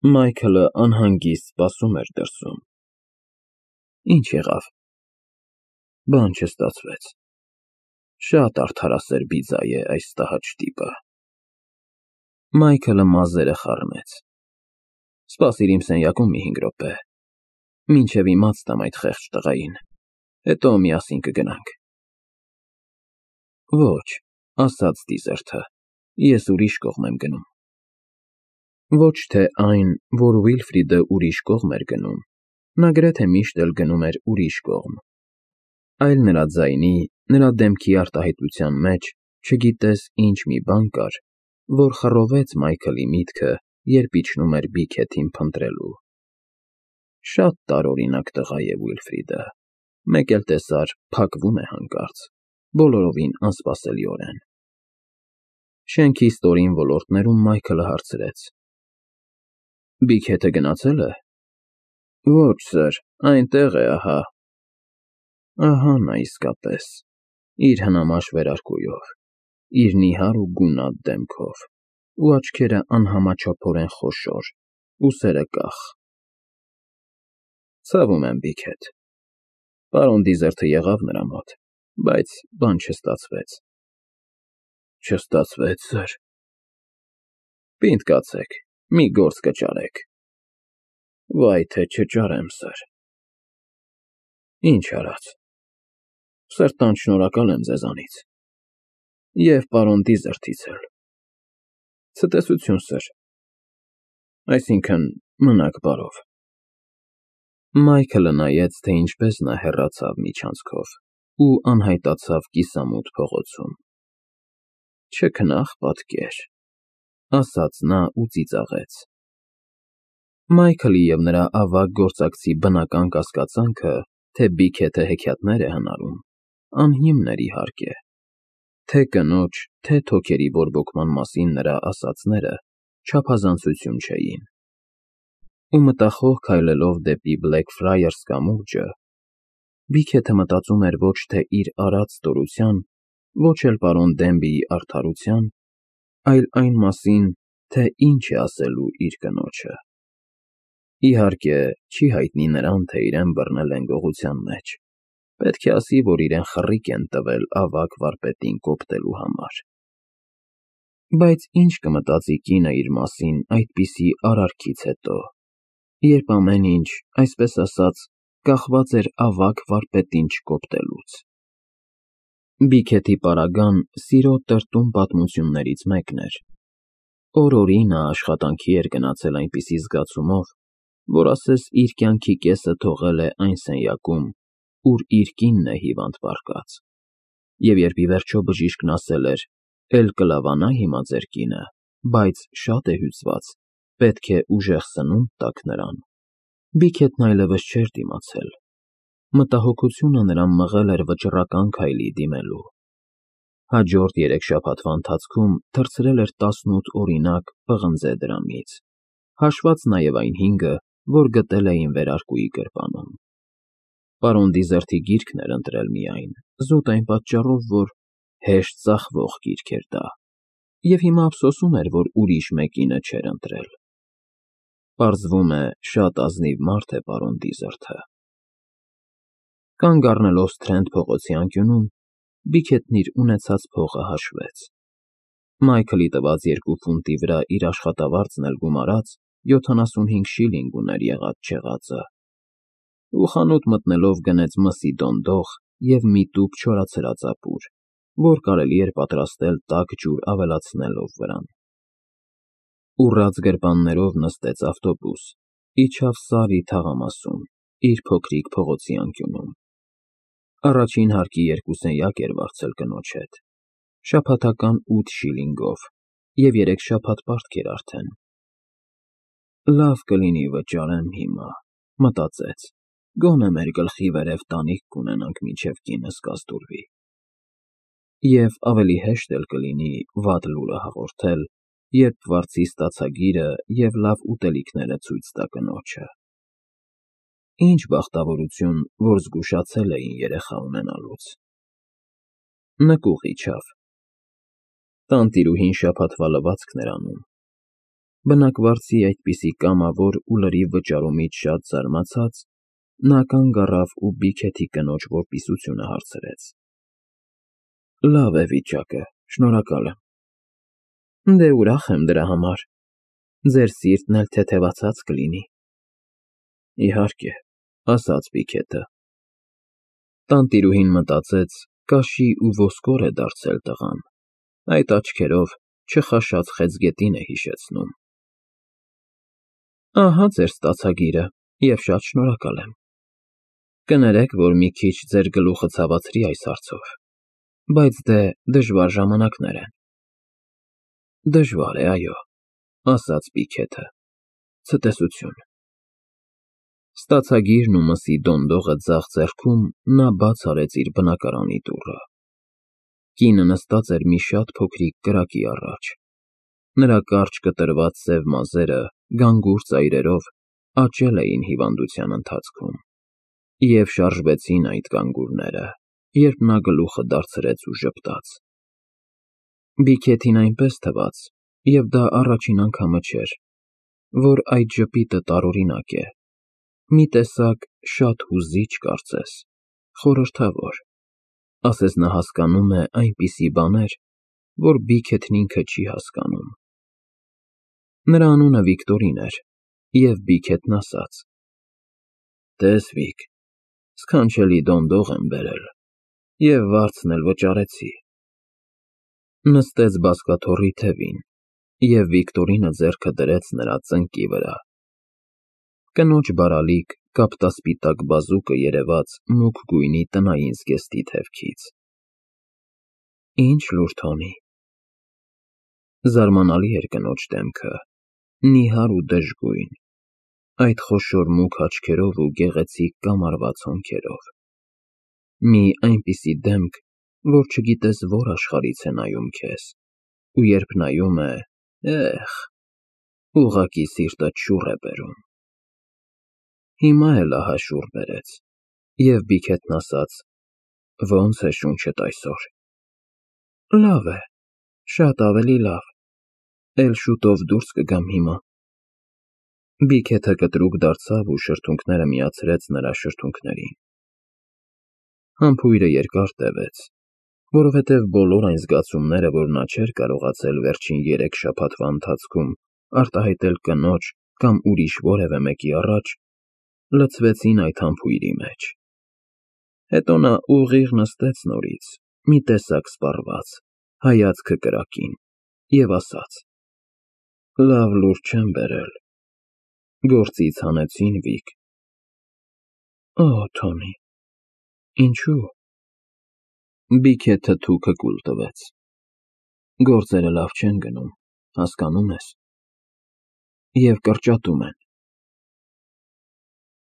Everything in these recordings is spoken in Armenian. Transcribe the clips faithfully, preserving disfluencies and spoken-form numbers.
Մայքլը անհանգիստ սպասում էր դրսում։ Ինչ եղավ։ Բան չստացվեց։ Շատ արդարասեր բիձա է այս տհաճ տիպը։ Մայքլը մազերը խառնեց։ Սպասիր իմ սենյակում մի հինգ րոպե, մինչև իմաց տամ այդ խեղճ տղային, հետո միասին կգնանք։ Ոչ, ասաց դիզերթը, ես ուրիշ կողմ եմ գնում։ Ոչ թե այն, որ Վիլֆրիդը ուրիշ կողմ էր գնում, նա գրեթե միշտ էլ գնում էր ուրիշ կողմ, այլ նրա ձայնի, նրա դեմքի արտահայտության մեջ չգիտես ինչ մի բան կար, որ խռովեց Մայքլի միտքը, երբ իջնում էր Բիքեթին փնտրելու։ Շատ տարօրինակ տղա է Վիլֆրիդը, մեկ էլ տեսար, փակվում է հանկարծ, բոլորովին անսպասելիորեն։ Շենքի ստորին ոլորտներում Մայքլը հարցրեց. Բիքեթը գնացե՞լ է։ Ոչ, սըր, այնտեղ է, ահա։ Ահա նա իսկապես, իր հնամաշ վերարկուով, իր նիհար ու գունատ դեմքով, ու աչքերը անհամաչափորեն խոշոր, ուսերը կախ։ Ցավում եմ, Բիքեթ։ Պարոն Դիզերթը եղավ նրա մոտ, բայց բան չստացվեց։ Չստացվեց, սըր։ Պինդ կացեք, մի գործ կճարեք։ Վայ, թե չճարեմ, սըր։ Ինչ արած։ Սրտանց շնորհակալ եմ ձեզանից։ Եվ պարոն Դիզերթից էլ։ Ցտեսություն, սըր։ Այսինքն՝ մնաք բարով։ Մայքլը նայեց, թե ինչպես նա հեռացավ միջանցքով ու անհայտացավ կիսամութ փողոցում։ Չքնաղ պատկեր, ասաց նա ու ծիծաղեց։ Մայքլի և նրա ավագ գործակցի բնական կասկածանքը, թե Բիքեթը հեքիաթներ է հնարում, անհիմն էր իհարկե, թե կնոջ, թե թոքերի բորբոքման մասին նրա ասածները չափազանցություն չէին։ Ու մտախոհ քայլելով դեպի Բլեքֆրայարս կամուրջը, Բիքեթը մտածում էր ոչ թե իր արած ստորության, ոչ էլ պարոն Դենբիի արդարության, այլ այն մասին, թե ինչ է ասելու իր կնոջը։ Իհարկե, չի հայտնի նրան, թե իրեն բռնել են գողության մեջ, պետք է ասի, որ իրեն խռիկ են տվել ավագ վարպետին կոպտելու համար։ Բայց ինչ կմտածի կինը իր մասին այդպիսի արարքից հետո, երբ ամեն ինչ, այսպես ասած, կախված էր ավագ վարպետին չկոպտելուց։ Բիքեթի պարագան սիրո տրտում պատմություններից մեկն էր։ Օր֊օրի նա աշխատանքի էր գնացել այնպիսի զգացումով, որ ասես իր կյանքի կեսը թողել է այն սենյակում, ուր իր կինն է հիվանդ պառկած, և երբ ի վերջո բժիշկն ասել էր. «Էլ կլավանա հիմա ձեր կինը, բայց շատ է հյուծված, պետք է ուժեղ սնունդ տաք նրան», Բիքեթն այլևս չէր դիմացել։ Մտահոգությունը նրան մղել էր վճռական քայլի դիմելու։ Հաջորդ երեք շաբաթվա ընթացքում թռցրել էր տասնութ օրինակ պղնձե դրամից, հաշված նաև այն հինգը, որ գտել էին վերարկուի գրպանում։ Պարոն Դիզերթի գիրքն էր ընտրել միայն, զուտ այն պատճառով, որ հեշտ ծախվող գիրք էր դա, և հիմա ափսոսում էր, որ ուրիշ մեկինը չէր ընտրել։ Պարզվում է, շատ ազնիվ մարդ է պարոն Դիզերթը։ Կանգ առնելով Սթրենդ փողոցի անկյունում, Բիքեթն իր ունեցած փողը հաշվեց։ Մայքլի տված երկու ֆունտի վրա իր աշխատավարձն էլ գումարած, յոթանասունհինգ շիլինգ ուներ եղած֊չեղածը, ու խանութ մտնելով գնեց մսի դոնդող և մի տուփ չորացրած ապուր, որ կարելի էր պատրաստել տաք ջուր ավելացնելով վրան։ Ուռած գրպաններով նստեց ավտոբուս, իջավ Սարի թաղամասում, իր փոքրիկ փողոցի անկյունում։ Առաջին հարկի երկու սենյակ էր վարձել կնոջ հետ, շաբաթական ութ շիլինգով, և երեք շաբաթ պարտք էր արդեն։ Լավ կլինի վճարեմ հիմա, մտածեց, գոնե մեր գլխի վերև տանիք կունենանք, մինչև կինս կազդուրվի։ Եվ ավելի հեշտ էլ կլինի վատ լուրը հաղորդել, երբ վարձի ստացագիրը և լավ ուտելիքները ցույց տա կնոջը։ Ինչ բախտավորություն, որ զգուշացել էին երեխա ունենալուց։ Նկուղ իջավ։ Տանտիրուհին շաբաթվա լվացքն էր անում։ Բնակվարձի այդպիսի կամավոր ու լրիվ վճարումից շատ զարմացած, նա կանգ առավ ու Բիքեթի կնոջ որպիսությունը հարցրեց. Լավ է վիճակը, շնորհակալ եմ։ Դե ուրախ եմ դրա համար, ձեր սիրտն էլ թեթևացած կլինի։ Իհարկե, ասաց Բիքեթը։ Տանտիրուհին մտածեց, կաշի ու ոսկոր է դարձել տղան, այդ աչքերով չխաշած խեցգետին է հիշեցնում։ Ահա ձեր ստացագիրը, և շատ շնորհակալ եմ։ Կներեք, որ մի քիչ ձեր գլուխը ցավացրի այս հարցով, բայց դե դժվար ժամանակներ են։ Դժվար է, այո, ասաց Բիքեթը, ցտեսություն։ Ստացագիրն ու մսի դոնդողը ձախ ձեռքում նա բաց արեց իր բնակարանի դուռը։ Կինը նստած էր մի շատ փոքրիկ կրակի առաջ։ Նրա կարճ կտրված սև մազերը գանգուր ծայրերով աճել էին հիվանդության ընթացքում, և շարժվեցին այդ գանգուրները, երբ նա գլուխը դարձրեց ու ժպտաց։ Բիքեթին այնպես թվաց, և դա առաջին անգամը չէր, որ այդ ժպիտը տարօրինակ է, մի տեսակ շատ հուզիչ կարծես, խորհրդավոր, ասես նա հասկանում է այնպիսի բաներ, որ Բիքեթն ինքը չի հասկանում։ Նրա անունը Վիկտորին էր, և Բիքեթն ասաց. Տես, Վիկ, սքանչելի դոնդող եմ բերել, և վարձն էլ վճարեցի։ Նստեց բազկաթոռի թևին, և Վիկտորինը ձեռքը դրեց նրա ծնկի վրա։ Կնոջ բարալիկ, կապտասպիտակ բազուկը երևաց մուգ գույնի տնային զգեստի թևքից։ Ինչ լուր, Թոմի։ Զարմանալի էր կնոջ դեմքը, նիհար ու դժգույն, այդ խոշոր մուգ աչքերով ու գեղեցիկ կամարված հոնքերով։ Մի այնպիսի դեմք, որ չգիտես որ աշխարհից է նայում քեզ, ու երբ նայում է, էհ, ուղղակի սիրտդ շուռ է բերում։ Հիմա էլ ահա շուռ բերեց, և Բիքեթն ասաց. Ո՞նց է շունչդ այսօր։ Լավ է, շատ ավելի լավ, էլ շուտով դուրս կգամ հիմա։ Բիքեթը կտրուկ դարձավ ու շրթունքները միացրեց նրա շրթունքներին։ Համբույրը երկար տևեց, որովհետև բոլոր այն զգացումները, որ նա չէր կարողացել վերջին երեք շաբաթվա ընթացքում արտահայտել կնոջ կամ ուրիշ որևէ մեկի առաջ, լցվեցին այդ համբույրի մեջ։ Հետո նա ուղիղ նստեց նորից, մի տեսակ սպառված, հայացքը կրակին, և ասաց. Լավ լուր չեմ բերել, գործից հանեցին, Վիկ։ Օ, Թոմի, ինչու՞։ Բիքեթը թուքը կուլ տվեց։ Գործերը լավ չեն գնում, հասկանում ես, և կրճատում են։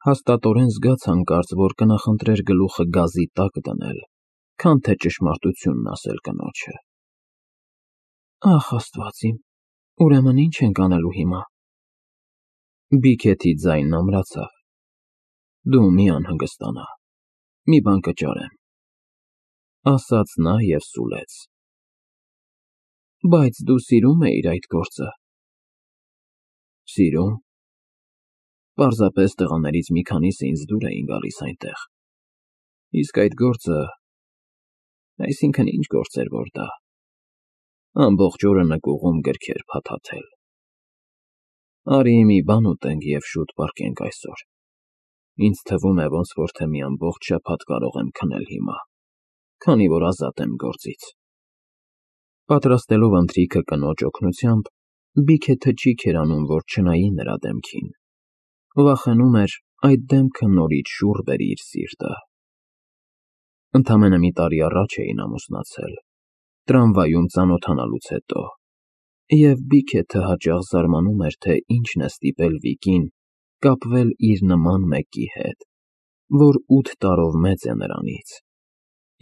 Հաստատորեն զգաց հանկարծ, որ կնախընտրեր գլուխը գազի տակ դնել, քան թե ճշմարտությունն ասել կնոջը։ Ախ, Աստված իմ, ուրեմն ի՞նչ ենք անելու հիմա։ Բիքեթի ձայնն ամրացավ։ Դու մի անհանգստանա, մի բան կճարեմ, ասաց նա և սուլեց։ Բայց դու սիրում էիր այդ գործը։ Սիրում։ Պարզապես տղաներից մի քանիսը ինձ դուր էին գալիս այնտեղ, իսկ այդ գործը… Այսինքն ինչ գործ էր որ դա… Ամբողջ օրը նկուղում գրքեր փաթաթել։ Արի մի բան ուտենք և շուտ պառկենք այսօր։ Ինձ թվում է, ոնց որ թե մի ամբողջ շաբաթ կարող եմ քնել հիմա, քանի որ ազատ եմ գործից։ Պատրաստելով ընթրիքը կնոջ օգնությամբ, Բիքեթը ճիգ էր անում, որ չնայի նրա դեմքին։ Վախենում էր այդ դեմքը նորից շուռ բերի իր սիրտը։ Ընդամենը մի տարի առաջ էին ամուսնացել, տրամվայում ծանոթանալուց հետո, և Բիքեթը հաճախ զարմանում էր, թե ինչն է ստիպել Վիկին կապվել իր նման մեկի հետ, որ ութ տարով մեծ է նրանից,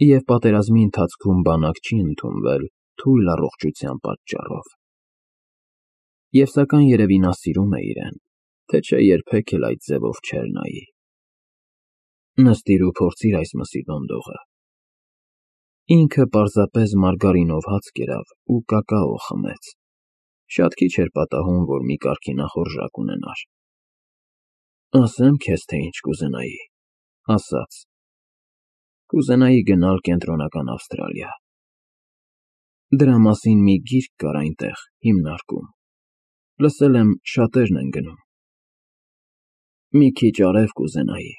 և պատերազմի ընթացքում բանակ չի ընդունվել թույլ առողջության պատճառով։ Եվ սակայն երևի նա սիրում է իրեն, թե չէ երբեք էլ այդ ձևով չէր նայի։ Նստիր ու փորձիր այս մսի դոնդողը։ Ինքը պարզապես մարգարինով հաց կերավ ու կակաո խմեց, Շատ քիչ էր պատահում, որ մի կարգի նախօրժակ ունենար։ Ասեմ քեզ, թե ինչ կուզենայի, ասաց. կուզենայի գնալ Կենտրոնական Ավստրալիա։ Դրա մասին մի գիրք կար այնտեղ, հիմնարկում, լսել եմ շատերն են գնում։ Մի քիչ արև կուզենայի,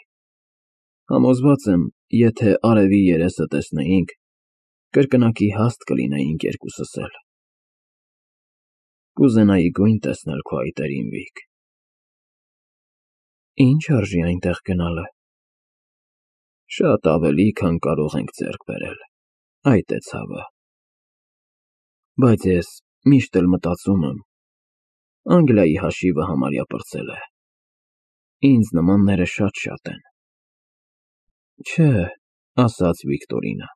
համոզված եմ, եթե արևի երեսը տեսնեինք, կրկնակի հաստ կլինեինք երկուսս էլ։ Կուզենայի գույն տեսնել քո այտերին, Վիկ։ Ինչ արժի այնտեղ գնալը։ Շատ ավելի, քան կարող ենք ձեռք բերել, այդ է ցավը։ Բայց ես միշտ էլ մտածում եմ, Անգլիայի հաշիվը համարյա պրծել է։ Ինձ նմանները շատ-շատ են։ Չէ, ասաց Վիկտորինը,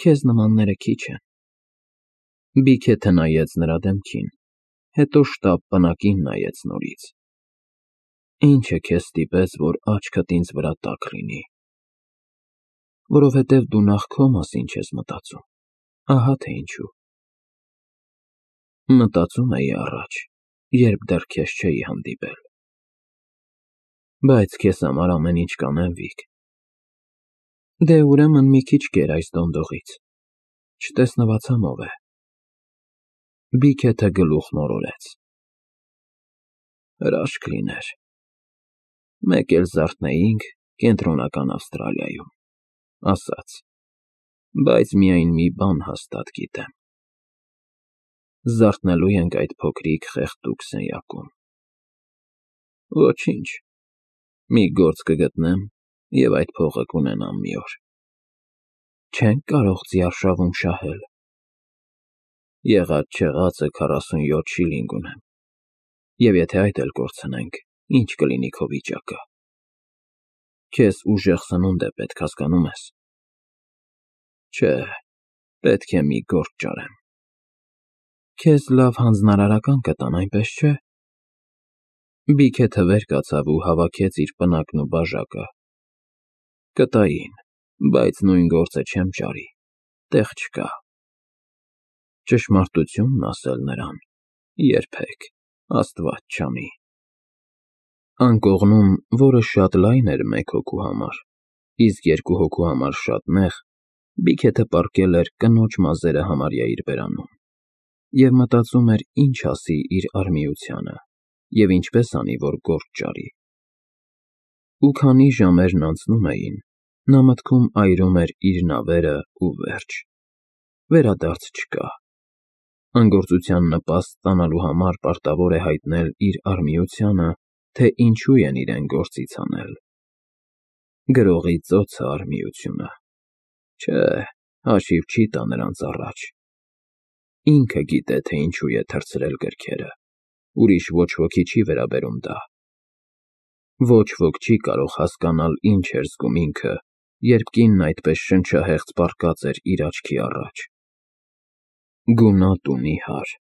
քեզ նմանները քիչ են։ Բիքեթը նայեց նրա դեմքին, հետո շտապ պնակին նայեց նորից։ Ինչը քեզ ստիպեց, որ աչքդ ինձ վրա տաք լինի։ Որովհետև դու նախ քո մասին չես մտածում, ահա թե ինչու։ Մտածում էի առաջ, երբ դեռ քեզ չէի հանդիպել։ Բայց քեզ համար ամեն ինչ կանեմ, Վիկ։ Դե ուրեմն մի քիչ կեր այս դոնդողից, չտեսնվացամ ով է։ Բիքեթը գլուխն օրորեց։ Հրաշք լիներ, մեկ էլ զարթնեինք Կենտրոնական Ավստրալիայում, ասաց, բայց միայն մի բան հաստատ գիտեմ. զարթնելու ենք այդ փոքրիկ խեղդուկ սենյակում։ Ոչինչ, մի գործ կգտնեմ և այդ փողը կունենամ մի օր։ Չենք կարող ձիարշավում շահել։ Եղած-չեղածը քառասունյոթ շիլինգ ունեմ, և եթե այդ էլ կորցնենք, ինչ կլինի քո վիճակը։ Քեզ ուժեղ սնունդ է պետք, հասկանո՞ւմ ես։ Չէ, պետք է մի գործ ճարեմ։ Քեզ լավ հանձնարարական կտան, այնպես չէ՞։ Բիքեթը վեր կացավ ու հավաքեց իր պնակն ու բաժակը։ Կտային, բայց նույն գործը չեմ ճարի, տեղ չկա։ Ճշմարտությունն ասել նրան, երբեք, Աստված չանի։ Անկողնում, որը շատ լայն էր մեկ հոգու համար, իսկ երկու հոգու համար շատ նեղ, Բիքեթը պառկել էր կնոջ մազերը համարյա իր բերանում և մտածում էր ինչ ասի իր արմիությանը և ինչպես անի, որ գործ ճարի։ Ու քանի ժամերն անցնում էին, նա մտքում այրում էր իր նավերը ու վերջ։ Վերադարձ չկա։ Անգործության նպաստ ստանալու համար պարտավոր է հայտնել իր արմիությանը, թե ինչու են իրեն գործից հանել։ Գրողի ծոցը արմիությունը։ Չէ, հաշիվ չի տա նրանց առաջ։ Ինքը գիտե, թե ինչու է թռցրել գրքերը, ուրիշ ոչ ոքի չի վերաբերում դա։ Ոչ ոք չի կարող հասկանալ ինչ էր զգում ինքը, երբ կինն այդպես շնչահեղձ պառկած էր իր աչքի առաջ։ Գունատ ու նիհար։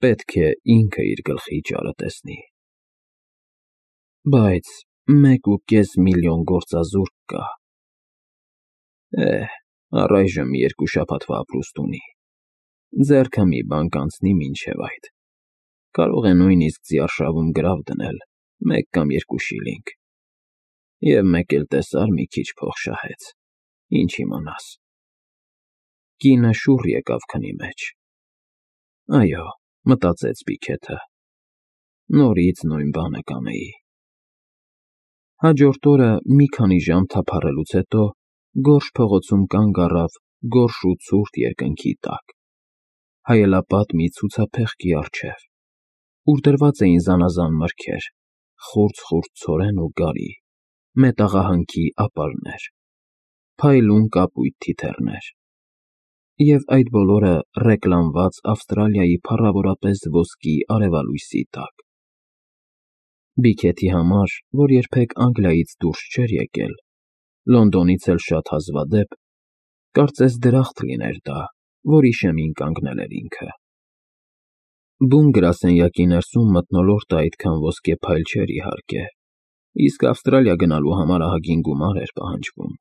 Պետք է ինքը իր գլխի ճարը տեսնի։ Բայց մեկ ու կես միլիոն գործազուրկ կա։ Էհ, առայժմ երկու շաբաթվա ապրուստ ունի։ Ձեռքը մի բան կանցնի մինչև այդ։ Կարող է նույնիսկ ձիարշավում գրավ դնել, մեկ կամ երկու շիլինգ։ Եվ մեկ էլ տեսար մի քիչ փող շահեց, ինչ իմանաս։ Կինը շուռ եկավ քնի մեջ։ Այո, մտածեց Բիքեթը, նորից նույն բանը կանեի։ Հաջորդ օրը մի քանի ժամ թափառելուց հետո գորշ փողոցում կանգ առավ գորշ ու ցուրտ երկնքի տակ, հայելապատ մի ցուցափեղկի առջև, ուր դրված էին զանազան մրգեր, խուրձ֊խուրձ ցորեն ու գարի, մետաղահանքի ապարներ, փայլուն կապույտ թիթեռներ։ Եվ այդ բոլորը ռեկլամված Ավստրալիայի փառավորապես ոսկի արևալույսի տակ։ Բիքեթի համար, որ երբեք Անգլիայից դուրս չէր եկել, Լոնդոնից էլ շատ հազվադեպ, կարծես դրախտ լիներ դա, որի շեմին կանգնել էր ինքը։ Բուն գրասենյակի ներսում մթնոլորտը այդքան ոսկեփայլ չէր, իհարկե, իսկ Ավստրալիա գնալու համար ահագին գումար էր պահանջվում։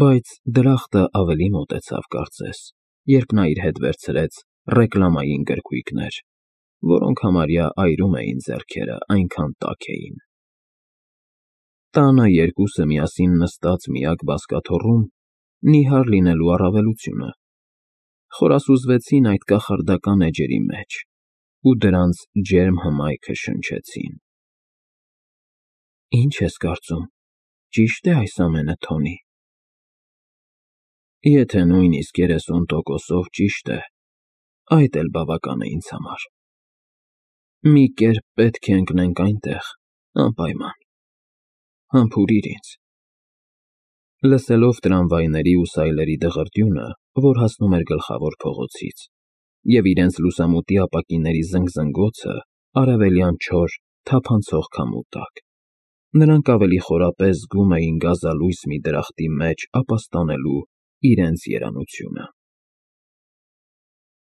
Բայց դրախտը ավելի մոտեցավ, կարծես, երբ նա իր հետ վերցրեց ռեկլամային գրքույկներ, որոնք համարյա այրում էին ձեռքերը, այնքան տաք էին։ Տանը երկուսը միասին նստած միակ բազկաթոռում նիհար լինելու առավելությունը, խորասուզվեցին այդ կախարդական էջերի մեջ ու դրանց ջերմ հմայքը շնչեցին։ Ի՞նչ ես կարծում, ճի՞շտ է այս ամենը, Թոնի։ Եթե նույնիսկ երեսուն տոկոսով ճիշտ է, այդ էլ բավական է ինձ համար։ Մի կերպ պետք է ընկնենք այնտեղ, անպայման։ Համբուրիր ինձ։ Լսելով տրամվայների ու սայլերի դղրդյունը, որ հասնում էր գլխավոր փողոցից, և իրենց լուսամուտի ապակիների զնգզնգոցը արևելյան չոր, թափանցող քամու տակ, նրանք ավելի խորապես զգում էին գազալույս մի դրախտի մեջ ապաստանելու իրենց երանությունը։